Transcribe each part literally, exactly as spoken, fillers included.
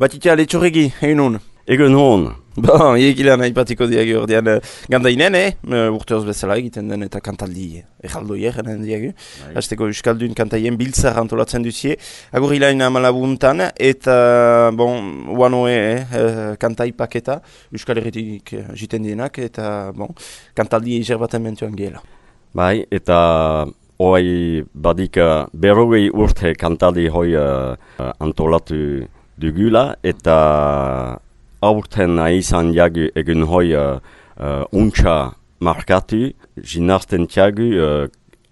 Batitia letxorregi, egin hon? Egun hon. Bon, egilean aipatiko diagu ordean uh, gandainen, eh? Uh, urteoz bezala egiten den eta kantaldi erraldoier eren diagu. Azteko Euskaldun kantaien biltzar antolatzen duzie. Agur hilain amalabuntan eta, bon, uanoe eh, kantai paketa Euskal Herritik uh, jiten dienak eta, bon, kantaldi eger baten mentuan gela. Bai, eta hoi badik uh, berrogei urte kantaldi hoi uh, antolatu dugula eta aurten izan jagu egun hoi uh, uh, untxa markatu, jinazten tiagu uh,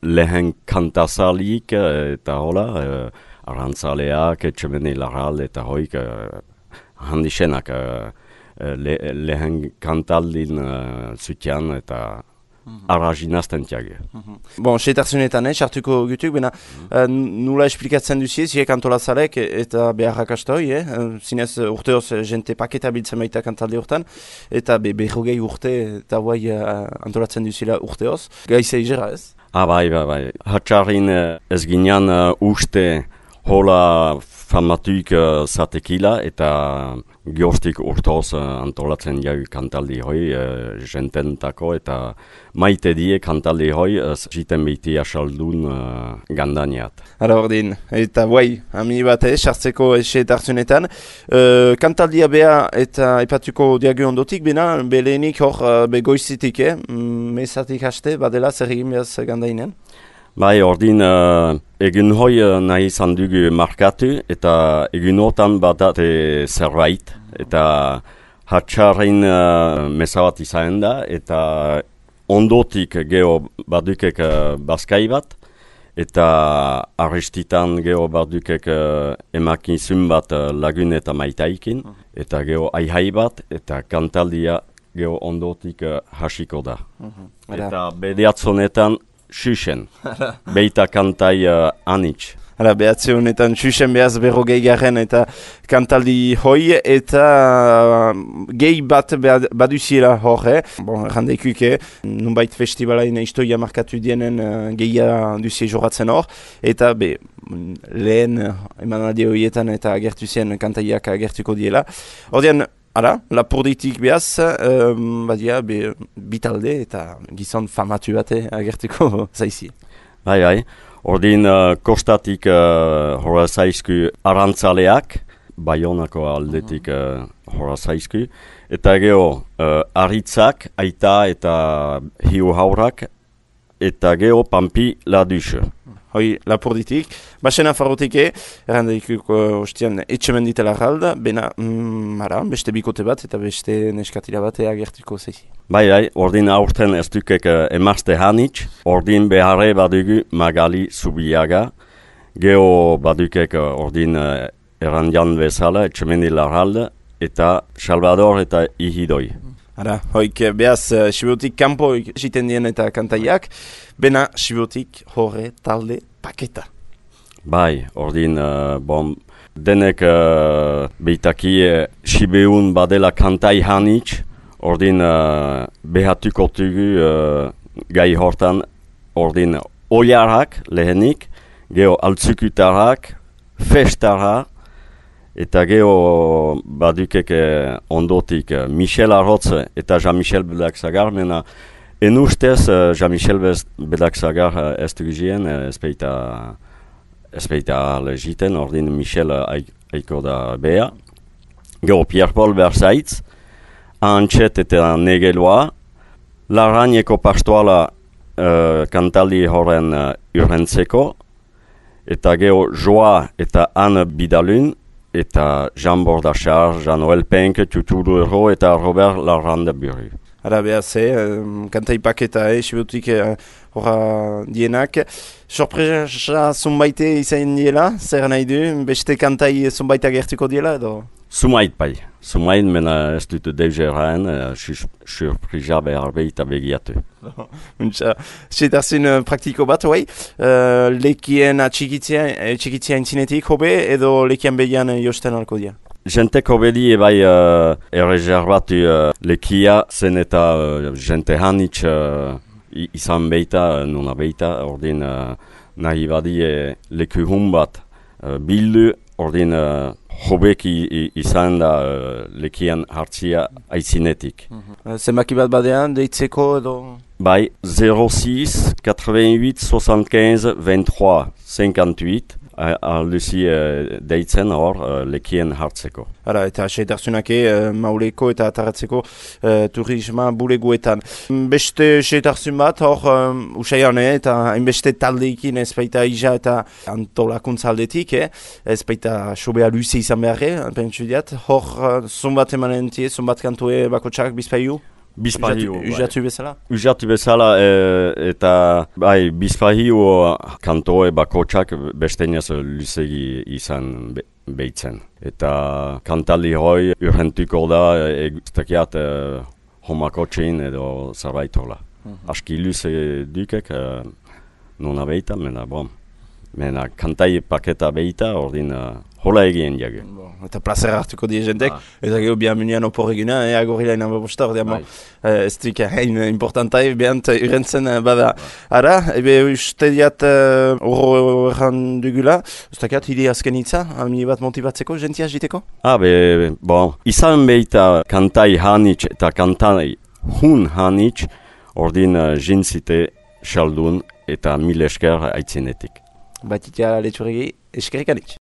lehen kantazalik uh, eta hola, uh, arantzaleak, etxemene laral eta hoik uh, handixenak uh, le, lehen kantaldin uh, zutian eta ara jinazten tiagu. Bon, setarzunetan, eh, sartuko gutuk, bena uh, nula esplikatzen duzie, ziek antolazalek eta beharrak astoi, eh? Zinez urteoz jente paketa biltzen baita kantalde urtan, eta be, berrogei urte eta guai uh, antolatzen duzila urteoz. Gaiza izera, ez? Ah, bai, bai, bai. Hatxarrin ez ginean uh, uste hola famatuik uh, zatekila eta gioztik urtoz uh, antolatzen jau kantaldi hoi uh, jententako eta maite die kantaldi hoi uh, jiten behiti asaldun uh, gandaniat. Ara ordin, eta guai, hami bat ez, sartzeko eset hartzunetan. Uh, kantaldia beha eta ipatuko diagu ondotik, bena belenik hor uh, begoizitik, eh? Mezatik haste, badela zer egin behaz gandainen? Bai, ordin uh, egun hoi uh, nahi izan dugu markatu eta egun hortan badate zerbait eta hatxarrein uh, mesabat izan da eta ondotik geho badukek uh, bazkai bat eta arrestitan geho badukek uh, emakizun bat uh, lagun eta maitaikin eta geho aihai bat eta kantaldia geho ondotik uh, hasiko da. Uh-huh. Eta bediatzonetan Xuxen, beita kantai uh, anitz. Hala, behatze honetan Xuxen behaz berrogei garen eta kantaldi hoi eta uh, gehi bat baduziela hor, eh? Bon, errandeikuk, eh? Nunbait festivalain historia markatu dienen uh, gehia duzie joratzen hor. Eta be, lehen uh, emanaldi horietan eta agertu zen kantaiak agertuko diela. Ordean, ara, lapurditik behaz, um, badia, be, bitalde eta gizon famatu bate agertuko zaizi. Bai, bai. Ordin uh, kostatik uh, hora zaizku arantzaleak, Baionako aldetik uh, hora zaizku, eta geho uh, aritzak, aita eta hiu haurak, eta geho pampi laduxe. Hoi, lapurditik. Basena farrotike, errandeikuk uh, ostian etxemenditela galda, bena, mm, ara, beste bikote bat eta beste neskatila bat agertuko zeizi. Bai, bai, ordin aurten ez dukek uh, emazte hanitz, ordin beharre badugu Magali Zubiaga, geho badukek uh, ordin uh, errandian bezala, etxemendila galda, eta Salvador eta Ihidoi. Ara, hoik behaz uh, Sibotik kanpo egiten dien eta kantaiak, bena Sibotik horre talde paketa. Bai, ordin, uh, bon, denek uh, beitaki uh, Sibeun badela kantai hanitz, ordin uh, behatuko tugu uh, gai hortan, ordin oiarak lehenik, geho altzukutarak, festara, eta geho badukek eh, ondotik eh, Michel Arrotz eta Jean-Michel Bedak-Zagar, mena en ustez eh, Jean-Michel Bedak-Zagar eh, ez dugizien, eh, ezpeita ezpeita legiten, ordin Michel eh, aiko da beha. Geho Pierre-Paul Berzaitz, Antxet eta Negeloa, Larrañeko pastoala eh, kantaldi horren eh, urrentzeko, eta geho Joa eta Anne Bidalun, eta Jean Bordachar, Jean-Noël Penck, Tuturu Ero eta Robert Larrandeburu. Ara behaz, eh, kantai paketa, eh, Sibotik horra uh, dienak. Sorpresa zunbaite izan diela, zer nahi du, beste kantai zunbaite agertuko diela edo? Zumait bai, zumait mena ez dut deuzeraen, uh, surprisa behar behita begiatu. Untsa, setarzun uh, praktiko bat, bai, uh, lekien atxikitzia intzinetik hobe edo lekien behian uh, josten alko dia? Jenteko bedi ebai uh, errezerbatu uh, lekia zen eta uh, jente hanitz uh, izan behita, nuna behita, ordin uh, nahi badie leku hun bat uh, bildu, ordin uh, hobeki izan da uh, lekian hartzia aitzinetik. Mm-hmm. Zenbaki bat badean, deitzeko edo... Bai, zero six quatre-vingt-huit soixante-quinze vingt-trois cinquante-huit alduzi uh, deitzen hor uh, lekien hartzeko. Hala, eta seitarsunake uh, mauleko eta ataratzeko uh, turisma buleguetan. Beste seitarsun bat hor um, usaian, eh, eta hainbeste taldeikin ez baita ija eta antolakuntza aldetik, eh? Ez baita sobea luze izan beharre, pentsu diat. Hor, uh, zonbat emanen tie, zonbat kantue bakotxak bizpaiu? Bizpahiu, Ujatu bezala? Ujatu bezala, e, eta bai, bizpahiu kantoe bakotxak besteinaz luzegi izan be, behitzen. Eta kantaldi hoi urrentuko da eguztakiat e, homakotxein edo zarbaitola. Mm-hmm. Aski luze dukek, e, nuna behita, mena bom. Mena kantai paketa behita, ordin uh, hola egien jage. Bon, eta plazera hartuko die jentek, ah. Eta gero bian munian opor egina, e, agorila inan babosta, ordean, bon, uh, ez duik hain importantai, behant urentzen uh, bada. Ara, ebe uste diat horro uh, erran dugula, ustakiat, hili azken hitza, amini bat motibatzeko, jentia jiteko? Ah, be, bon, izan behita kantai hanitz eta kantai hun hanitz, ordin uh, jintzite xaldun eta mil esker aitzinetik. Batitia letxuregi, eskerrik anitz.